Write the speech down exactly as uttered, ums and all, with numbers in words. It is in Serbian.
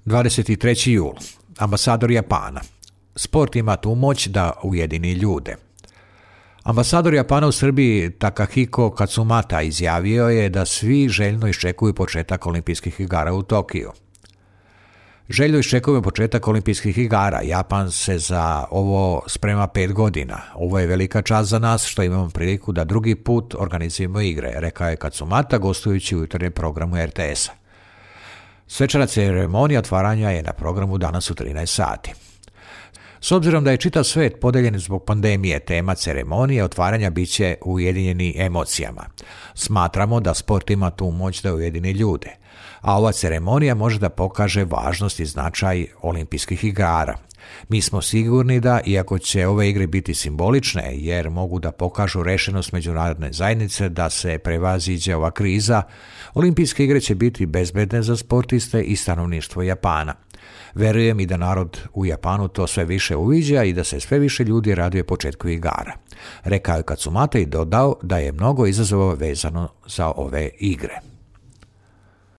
dvadeset treći jul. Ambasador Japana. Sport ima tu moć da ujedini ljude. Ambasador Japana u Srbiji Takahiko Katsumata izjavio je da svi željno iščekuju početak olimpijskih igara u Tokiju. Željno iščekujemo početak olimpijskih igara. Japan se za ovo sprema pet godina. Ovo je velika čast za nas što imamo priliku da drugi put organizujemo igre, rekao je Katsumata gostujući u jutarnjem programu er te es-a. Svečana ceremonija otvaranja je na programu danas u trinaest sati. S obzirom da je čitav svet podeljen zbog pandemije, tema ceremonije otvaranja biće ujedinjeni emocijama. Smatramo da sport ima tu moć da ujedini ljude, a ova ceremonija može da pokaže važnost i značaj olimpijskih igara. Mi smo sigurni da, iako će ove igre biti simbolične, jer mogu da pokažu rešenost međunarodne zajednice da se prevaziđe ova kriza, olimpijske igre će biti bezbedne za sportiste i stanovništvo Japana. Verujem i da narod u Japanu to sve više uviđa i da se sve više ljudi raduje početku igara. Rekao je Katsumata i dodao da je mnogo izazova vezano za ove igre.